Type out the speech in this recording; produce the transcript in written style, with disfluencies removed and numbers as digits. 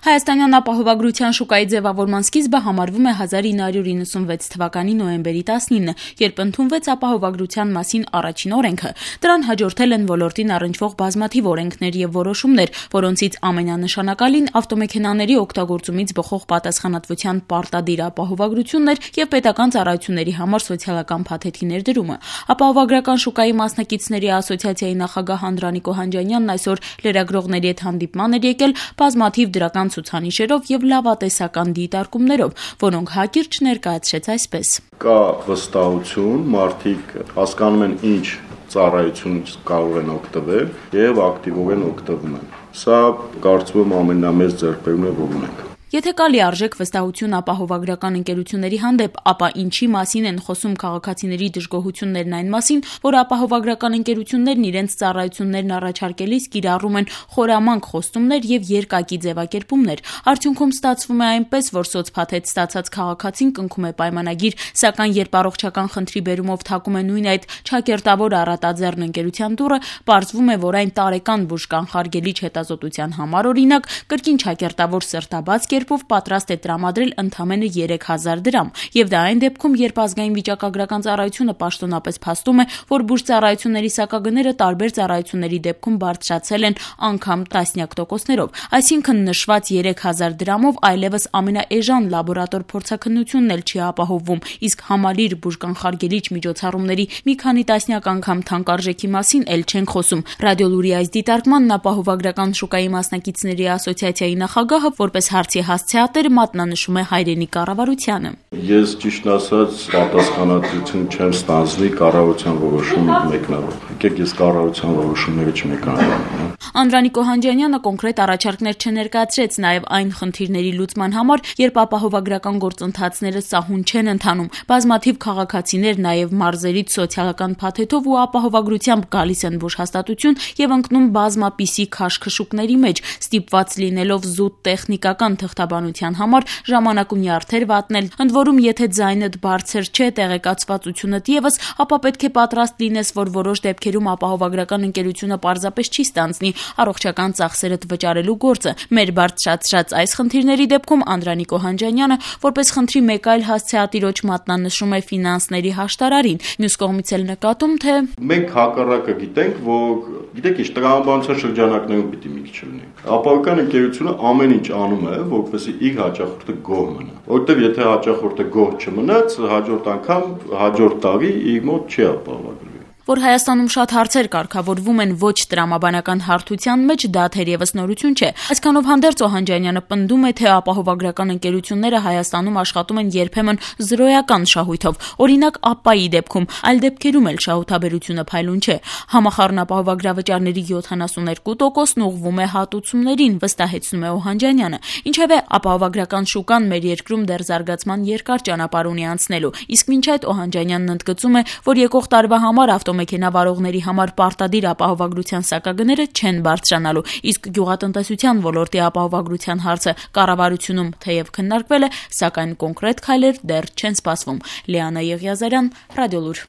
Հայաստանյան ապահովագրության շուկայի ձևավորման սկիզբը համարվում է 1996 թվականի նոյեմբերի 19, երբ ընդունվեց ապահովագրության մասին առաջին օրենքը։ Դրան հաջորդել են ոլորտին առնչվող բազմաթիվ օրենքներ եւ որոշումներ, որոնցից ամենանշանակալին ավտոմեքենաների օգտագործումից բխող պատասխանատվության պարտադիր ապահովագրությունն էր եւ պետական ծառայությունների համար սոցիալական փաթեթի ներդրումը։ Ապահովագրական շուկայի մասնակիցների ասոցիացիայի նախագահ Անդրանիկ Օհանջանյանն այսօր լրագրողների հետ հանդիպման էր եկել բազմաթիվ դրական ցուցանիշերով եւ լավատեսական դիտարկումներով, որոնք հակիրճ ներկայացրեց այսպես. Կա վստահություն, մարդիկ հասկանում են ինչ ծառայությունից կարող են օգտվել եւ ակտիվորեն օգտվում են։ Սա կարծում եմ ամենամեծ ձեռքբերումն է, որ ունենք։ Եթե կա լիարժեք վստահություն ապահովագրական ընկերությունների հանդեպ, ապա ինչի մասին են խոսում քաղաքացիների դժգոհություններն այն մասին, որ ապահովագրական ընկերություններն իրենց ծառայություններն առաջարկելիս կիրառում են խորամանկ խոստումներ եւ երկակի ձևակերպումներ։ Արդյունքում ստացվում է այնպես, որ սոցփաթեթ ստացած քաղաքացին կնքում է պայմանագիր, սակայն երբ առողջական խնդրի բերումով թակում է նույն այդ չակերտավոր առատաձեռն ընկերության դուռը, պարզվում է, որ այն տարեկան բուժկանխարգելիչ հետազոտության համար օրինակ կրկին չակերտավոր սրտաբաց պատրաստ է տրամադրել ընդամենը 3000 դրամ, եւ դա այն դեպքում, երբ ազգային վիճակագրական ծառայությունը պաշտոնապես փաստում է, որ բուժծառայությունների սակագները տարբեր ծառայությունների դեպքում բարձրացել են անգամ տասնյակ տոկոսներով, այսինքն նշված 3000 դրամով այլևս ամենաէժան լաբորատոր փորձաքննությունն էլ չի ապահովվում, իսկ համալիր բուժկանխարգելիչ միջոցառումների մի քանի տասնյակ անգամ թանկարժեքի մասին էլ չենք խոսում։ Ռադիոլուրի այս դիտարկմանն ապահովագրական շուկայի մասնակիցների ասոցիացիայի նախագահը որպես հարցի հասցեատեր մատնանշում է հայրենի կառավարությանը։ Ես ճիշտ ասած պատասխանատվություն չեմ ստանձնի կառավարության որոշումը մեկնաբան։ Եկեք ես կառավարության որոշումները չմեկնաբանեմ։ Անդրանիկ Օհանջանյանը կոնկրետ առաջարկներ չներկայացրեց նաև այն խնդիրների լուծման համար, երբ ապահովագրական գործընթացները սահուն չեն ընթանում։ Բազմաթիվ քաղաքացիներ նաև մարզերից սոցիալական փաթեթով ու ապահովագրությամբ գալիս են բուժհաստատություն եւ ընկնում բազմապիսի քաշքշուկների մեջ, ստիպված լինելով զուտ տեխնիկական թղթաբանության համար ժամանակ ու նյարդեր վատնել։ Ընդ որում, եթե ձայնդ բարձր չէ, տեղեկացվածությունդ եւս, ապա պետք է պատրաստ լինես, որ որոշ դեպքերում ապահովագրական ընկերությունը պարզապես չի ստանձնի առողջական ծախսերդ վճարելու գործը։ Մեր բարձրացրած այս խնդիրների դեպքում Անդրանիկ Օհանջանյանը որպես խնդրի մեկ այլ հասցեատիրոջ մատնանշում է ֆինանսների հաշտարարին։ Մյուս կողմից էլ նկատում, թե մենք հակառակը գիտենք, որ գիտեք ինչ տրամաբանության շրջանակներում պիտի մի քիչ լինի։ Ապահովական ընկերությունը ամեն ինչ անում է, որպեսզի իր հաճախորդը գոհ մնա։ Որտեւ եթե հաճախորդը գոհ չմնաց, հաջորդ անգամ, հաջորդ տարի իր մոտ չի ապահովագրվի։ Որ Հայաստանում շատ հարցեր կարգավորվում են ոչ տրամաբանական հարթության մեջ, դա թերևս նորություն չէ։ Այսքանով հանդերձ Օհանջանյանը պնդում է, թե ապահովագրական ընկերությունները Հայաստանում աշխատում են երբեմն զրոյական շահույթով, օրինակ ԱՊՊԱ-ի դեպքում, այլ դեպքերում էլ շահութաբերությունը փայլուն չէ։ Համախառն ապահովագրավճարների 72%-ն ուղղվում է հատուցումներին, վստահեցնում է Օհանջանյանը։ Ինչևէ, ապահովագրական շուկան մեր երկրում դեռ զարգացման երկար ճանապարհ ունի անցնելու, իսկ մինչ այդ Օհանջանյանն ընդգծում է, որ եկող տարվա համար ավտոմեքենա վարողների համար պարտադիր ապահովագրության սակագները չեն բարձրանալու, իսկ գյուղատնտեսության ոլորտի ապահովագրության հարցը կառավարությունում թեև քննարկվել է, սակայն կոնկրետ քայլեր դեռ չեն սպասվում։ Լիանա Եղիազարյան, Ռադիոլուր։